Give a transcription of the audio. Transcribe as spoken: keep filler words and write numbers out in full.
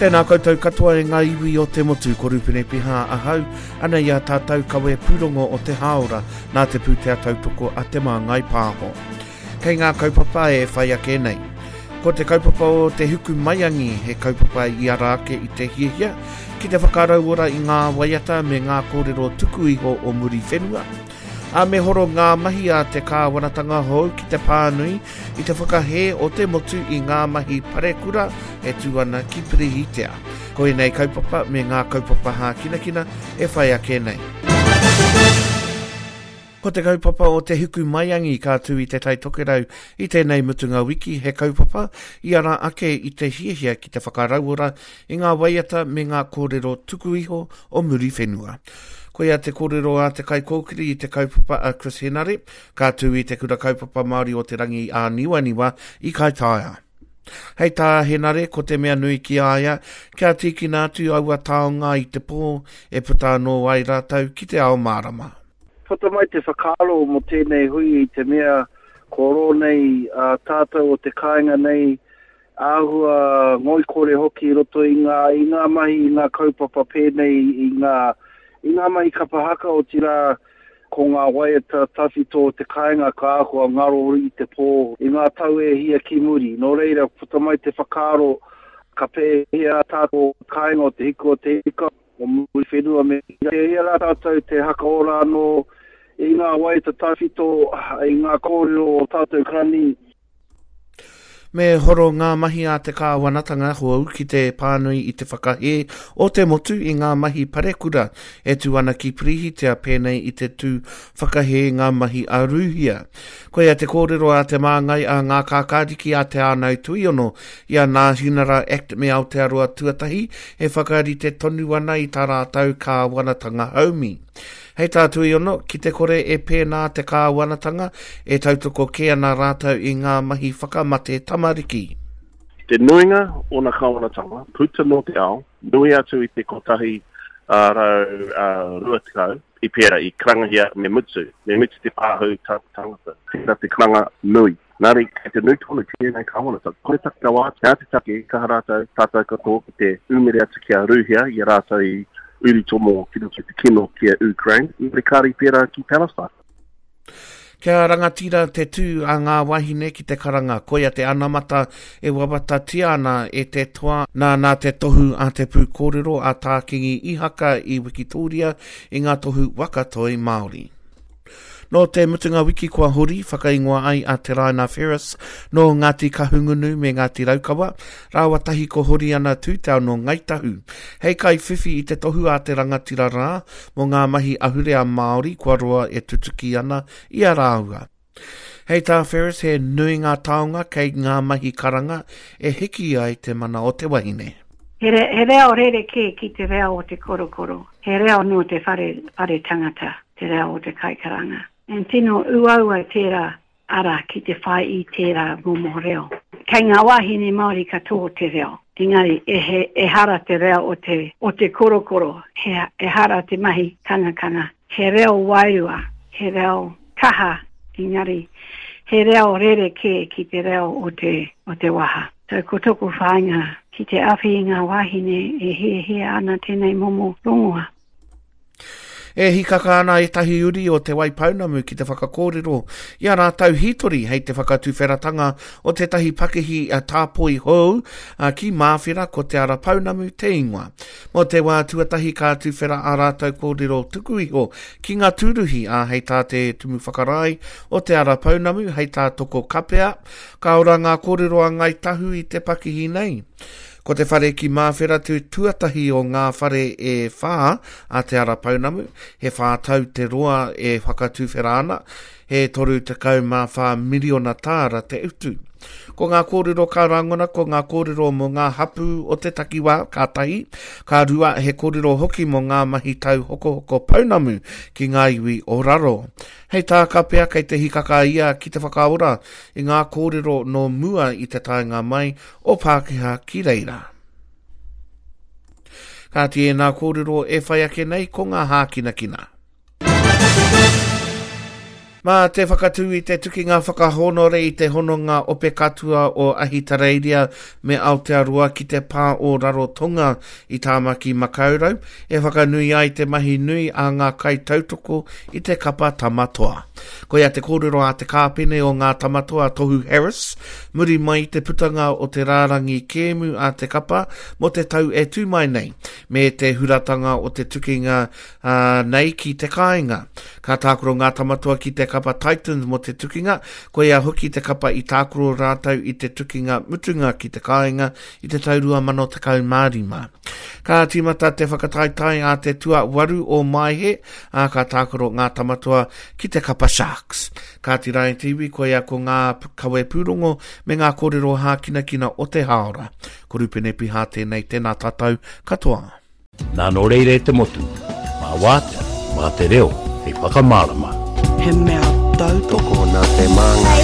Tēnā koutou katoa e ngā iwi o te motu, ko Rupene Piha ahau, ana i a tātou kawe pūrongo o te hāora nā te pūtea tautoko a Te Māngai Pāho. Kei ngā kaupapa e whai ake nei. Ko te kaupapa o te Huku Maiangi, he kaupapa i ara ake i te hiahia ki te whakarauora i ngā waiata me ngā kōrero tuku iho o Muriwhenua. A me horo ngā mahi a te kāwanatanga hou ki te pānui i te whakahē o te motu i ngā mahi parekura e tū ana ki Pirihitea. Ko ēnei kaupapa me ngā kaupapa hākinakina e whai ake nei. Ko te kaupapa o te Huku Maiangi ka tū i Te Tai Tokerau i tēnei mutunga wiki, he kaupapa i ara ake i te hiahia ki te whakarauora i ngā waiata me ngā kōrero tuku iho o Muriwhenua. Koia te kōrero a te kaikōkiri i te kaupapa a Chris Henare, ka tū i te Kura Kaupapa Māori o Te Rangi Āniwaniwa i Kaitaia. Hei tā Henare, ko te mea nui ki a ia, kia tīkina atu aua taonga i te pō e puta anō ai rātou ki te ao mārama. Puta mai te whakaaro mō tēnei hui i te mea ko rō nei a tātou o te kāinga nei, āhua ngoikore hoki i roto i ngā, i ngā mahi, i ngā kaupapa pēnei, i ngā, i ngā mahi kapa haka, otirā ko ngā waiata tawhito o te kāinga ka āhua ngaro i te pō i ngā tau e hia ki muri. Nō reira, puta mai te whakaaro ka pēhea tātou o te kāinga o Te Hiku o Te Ika, o Muriwhenua me pēhea rā tātou te hakaora anō i ngā waiata tawhito, i ngā kōrero o tātou karani. Me horo ngā mahi a te kāwanatanga hou ki te pānui i te whakahē o te motu i ngā mahi parekura e tū ana ki Pirihitea pēnei i te tū whakahē ngā mahi a Rūhia. Koia te kōrero a te māngai a ngā kākāriki a Te Ānau Tuiono i a Nāhinara Act me Aotearoa Tuatahi e whakarite tonu ana i tā rātou kāwanatanga haumi. Hei tā Tuiono, ki te kore e pēnā te kāwanatanga, e tautoko kē ana rātou i ngā mahi whakamate tamariki. Te nuinga o ngā kāwanatanga, puta nō te ao, nui atu i te kotahi rau rua tekau, i pērā, i karangahia me mutu, me mutu te pāhū tangata, tērā te karanga nui. Nā reira, kei te nui tonu tēnei kāwanatanga. Kore take rawa atu, he aha te take, kaha rātou, tātou katoa ki te umere atu ki a Rūhia, i a rātou i urutomo ki roto i te kino ki a Ukraine, i te kāri pērā ki Palestine. Kia rangatira te tū a ngā wahine ki te karanga, koia te anamata e wawatatia ana e te toa nā nā te tohu a te pūkōrero a Tā Kingi Ihaka i Wikitōria i ngā tohu waka toi Māori. Nō te mutunga wiki kua hori, whakaingoa ai a Te Raina Ferris nō Ngāti Kahungunu me Ngāti Raukawa, rāua tahi ko Horiana Tūtau nō Ngāi Tahu. Hei kaiwhiwhi i te tohu a te rangatira rā mō ngā mahi ahurea Māori kua roa e tutuki ana i a rāua. Hei tā Ferris, he nui ngā taonga kei ngā mahi karanga e hiki ai te mana o te wahine. He, re, he reo rerekē ki te reo o te korokoro. He reo nō te whare, whare tangata, te reo o te kaikaranga. And tino uaua tērā ara ki te whai i tērā momo reo. Kei ngā wāhine Māori katoa te reo. Engari, e he, ehara te reo o te, o te korokoro, he, ehara te mahi kangakanga. He reo wairua, he reo kaha, engari, he reo rerekē ki te reo o te, o te waha. So, ko tōku whāinga ki te awhi i ngā wāhine e hiahia ana tēnei momo rongoa. E hikaka ana ētahi uri o Te Waipounamu ki te whakakōrero i a rātou hītori hei te whakatuwheratanga o tētahi pakihi a tāpoi hou ki Māwhera ko Te Ara Pounamu te ingoa. Mō te wā tuatahi ka tuwhera a rātou kōrero tuku iho ki ngā tūruhi a hei tā te Tumu Whakarae o Te Ara Pounamu hei tā Toko Kapea, ka ora ngā kōrero a Ngāi Tahu i te pakihi nei. Ko te whare ki Māwhera te tuatahi o ngā whare e whā a Te Ara Pounamu, he whā tau te roa e whakatuwhera ana, he toru tekau mā whā miriona tāra te utu. Ko ngā kōrero ka rangona, ko ngā kōrero mō ngā hapū o te takiwā, ka tahi, ka rua he kōrero hoki mō ngā mahi tauhokohoko pounamu ki ngā iwi o raro. Hei tā Kapea kei te hikaka ia ki te whakaora i ngā kōrero nō mua i te taenga mai o Pākehā ki reira. Kāti ēnā kōrero e whai ake nei ko ngā hākinakina. Mā te whakatū i te tukinga whakahōnore i te hononga ope katua o Ahitereiria me Aotearoa ki te pā o Rarotonga i Tāmaki Makaurau, e whakanui ai te mahi nui a ngā kaitautoko i te kapa Tamatoa. Koia te kōrero a te kāpene o ngā Tamatoa Tohu Harris, muri mai i te putanga o te rārangi kēmu a te kapa mō te tau e tū mai nei, me te huratanga o te tukinga uh, nei ki te kāinga. Ka tākaro ngā Tamatoa ki te kapa Titans mō te tukinga, koia hoki te kapa i tākaro rātou i te tukinga mutunga ki te kāinga i te tau rua mano tekau mā rima. Ka tīmata te whakataetae a te tuawaru o Maehe, ā, ka tākaro ngā Tamatoa ki te kapa Sharks. Kāti rā e te iwi, koia ko ngā kawe pūrongo me ngā kōrero hākinakina o te hāora. Ko Rupene Piha tēnei, tēnā tātou katoa. Nā nō reira e te motu, mā wātea, mā te reo, hei whakamārama. He mea tautoko. Tokona te māngai.